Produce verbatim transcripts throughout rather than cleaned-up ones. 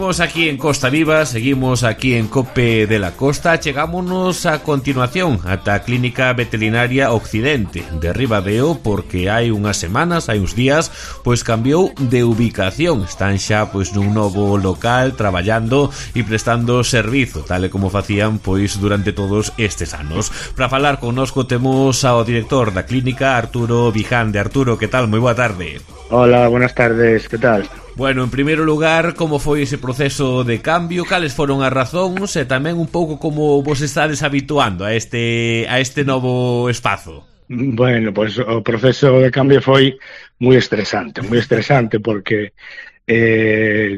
Seguimos aquí en Costa Viva, seguimos aquí en Cope de la Costa. Chegámonos a continuación ata a Clínica Veterinaria Occidente de Ribadeo, porque hai unhas semanas, hai uns días, pois cambiou de ubicación. Están xa pois nun novo local traballando e prestando servizo, tal e como facían pois durante todos estes anos. Para falar connosco temos ao director da clínica, Arturo Vijande. Arturo, que tal? Moi boa tarde. Hola, buenas tardes, que tal? Bueno, en primeiro lugar, como foi ese proceso de cambio? Cales foron as razóns e tamén un pouco como vos estades habituando a este a este novo espazo? Bueno, pois pues, o proceso de cambio foi moi estresante, moi estresante porque eh,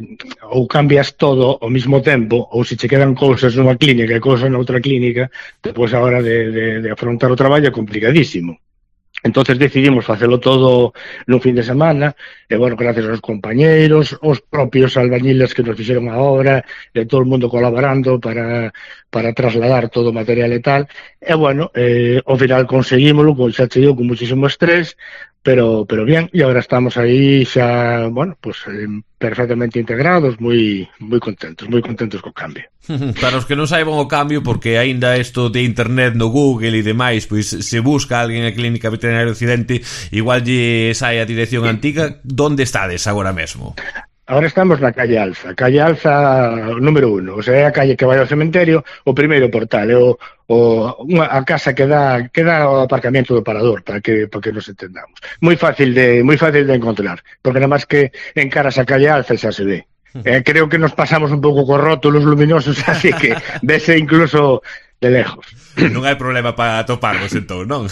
ou cambias todo ao mesmo tempo, ou se che quedan cousas nunha clínica e cousas noutra clínica, depois a hora de, de, de afrontar o traballo é complicadísimo. Entonces decidimos facelo todo nun fin de semana, e, bueno, gracias aos compañeiros, os propios albañiles que nos fixeron a obra, e todo o mundo colaborando para, para trasladar todo o material e tal, e, bueno, eh, ao final conseguímolo, xa che digo, con muchísimo estrés, pero pero bien, e agora estamos aí xa, bueno, pues eh, perfectamente integrados, moi moi contentos, moi contentos co cambio. Para os que non saiban o cambio, porque aínda isto de internet no Google e demais, pois se busca alguén a Clínica Veterinaria Occidente, igual lle sai a dirección antiga. Donde estades agora mesmo? Agora estamos na calle Alza, calle Alza número uno, o sea, é a calle que vai ao cementerio, o primeiro portal, é o, o, unha, a casa que dá, que dá o aparcamiento do parador, para que, para que nos entendamos. Moi fácil de, moi fácil de encontrar, porque nada máis que encaras a calle Alza xa se ve. Eh, creo que nos pasamos un pouco co rótulos luminosos, así que vese incluso de lejos. Non hai problema para atoparvos, entón, non?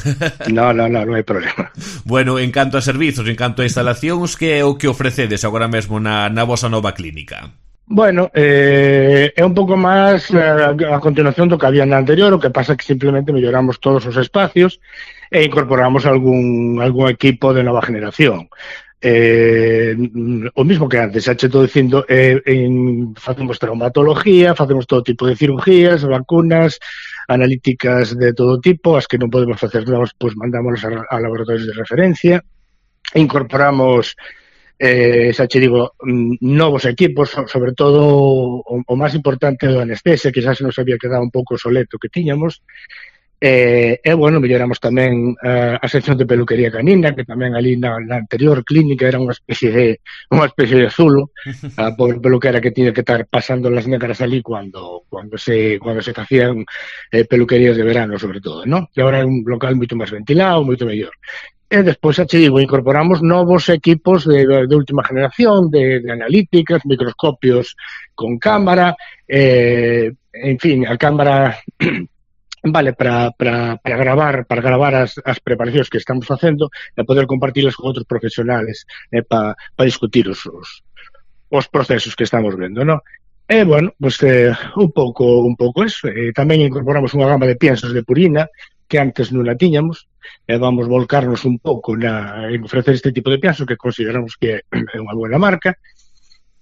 No, no, no, non hai problema. Bueno, en canto a servizos, en canto a instalacións, que é o que ofrecedes agora mesmo na, na vosa nova clínica? Bueno, eh, é un pouco máis a, a continuación do que había na anterior, o que pasa que simplemente melloramos todos os espacios e incorporamos algún, algún equipo de nova generación. Eh, o mismo que antes, xa che estou dicindo, eh, en, facemos traumatología, facemos todo tipo de cirugías, vacunas, analíticas de todo tipo, as que non podemos facer nós, pois mandámonos a, a laboratorios de referencia, incorporamos, eh, xa che digo, novos equipos, sobre todo o, o máis importante do anestesia, que xa se nos había quedado un pouco soleto que tiñamos. E, e bueno, melloramos tamén uh, a sección de peluquería canina, que tamén ali na, na anterior clínica era unha especie de unha especie de zulo, a pobre peluquera que tiña que estar pasando las negras ali cuando cuando se cuando se facían eh, peluquerías de verano, sobre todo, ¿no? E agora é un local moito máis ventilado, moito mellor. E despois, xa che digo, incorporamos novos equipos de, de última generación, de, de analíticas, microscopios con cámara, eh, en fin, a cámara vale para, para, para gravar para gravar as, as preparacións que estamos facendo e poder compartilas con outros profesionales eh, para pa discutir os, os, os procesos que estamos vendo, ¿no? E, bueno, pues, eh, un pouco un pouco eso. Eh, tamén incorporamos unha gama de piensos de purina que antes non la tiñamos, e vamos volcarnos un pouco na, en ofrecer este tipo de pienso que consideramos que é unha buena marca.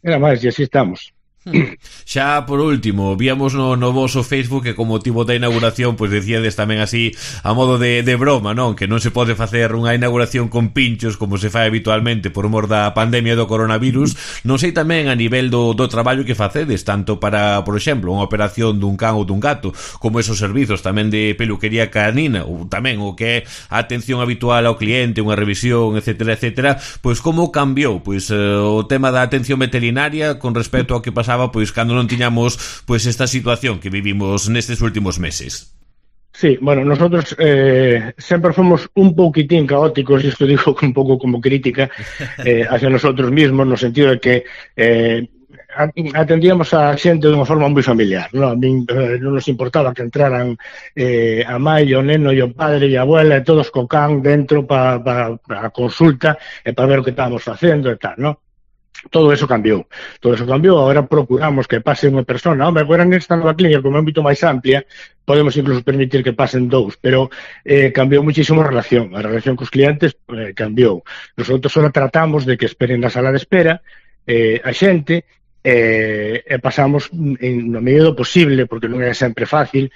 Era máis, e así estamos. Hmm. Xa por último, víamos no, no voso Facebook que con motivo da inauguración pois decíades tamén así a modo de, de broma, non? Que non se pode facer unha inauguración con pinchos como se fai habitualmente por mor da pandemia do coronavirus. Non sei tamén a nivel do, do traballo que facedes, tanto para, por exemplo, unha operación dun can ou dun gato, como esos servizos tamén de peluquería canina, ou tamén o que é a atención habitual ao cliente, unha revisión, etcétera, etcétera. Pois como cambiou pois eh, o tema da atención veterinaria con respecto ao que pasaba pois cando non tiñamos pois esta situación que vivimos nestes últimos meses? Sí, bueno, nosotros eh, sempre fomos un pouquitín caóticos, e isto digo un pouco como crítica eh, hacia nosotros mismos, no sentido de que eh, atendíamos a xente de unha forma moi familiar, non? A min eh, non nos importaba que entraran eh, a mãe, o neno, e o padre e a abuela, e todos co can dentro para pa, pa a consulta e para ver o que estábamos facendo e tal, non? Todo eso cambiou, todo eso cambiou. Agora procuramos que pase unha persona. Hombre, agora nesta nova clínica, como é moito máis amplia, podemos incluso permitir que pasen dous, pero eh, cambiou muchísimo a relación. A relación cos clientes eh, cambiou. Nosotros só tratamos de que esperen na sala de espera eh, a xente e eh, pasamos en, no medio do posible, porque non é sempre fácil,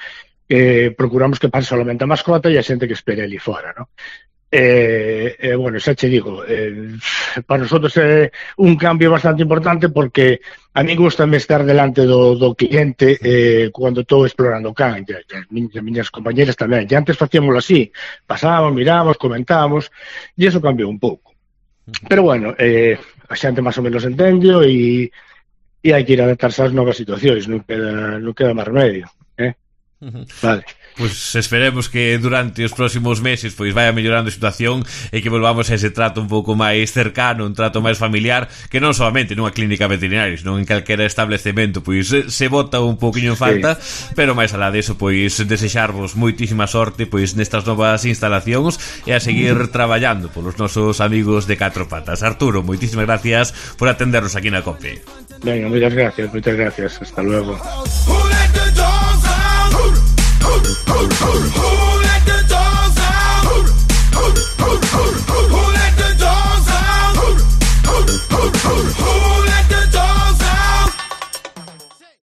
eh, procuramos que pase solamente a mascota e a xente que espere ali fora, ¿no? Eh, eh, bueno, xa che digo, eh, para nosotros é un cambio bastante importante porque a mí gustame estar delante do, do cliente eh, cando estou explorando o can, e as miñas, miñas compañeras tamén, e antes facíamoslo así, pasábamos, mirábamos, comentábamos, e eso cambiou un pouco. Pero bueno, eh, a xente máis ou menos entendio e, e hai que ir a adaptarse ás novas situacións, non queda, non queda máis remedio, eh? Vale. Pois esperemos que durante os próximos meses pois vaya mellorando a situación e que volvamos a ese trato un pouco máis cercano, un trato máis familiar, que non solamente nunha clínica veterinaria, senón en calquera establecemento, pois se bota un pouquiño en falta, sí. Pero máis alá deso, pois desexarvos moitísima sorte pois nestas novas instalacións e a seguir traballando polos nosos amigos de Catro Patas. Arturo, moitísimas gracias por atendernos aquí na COPE. Venga, moitas gracias, moitas gracias, hasta luego.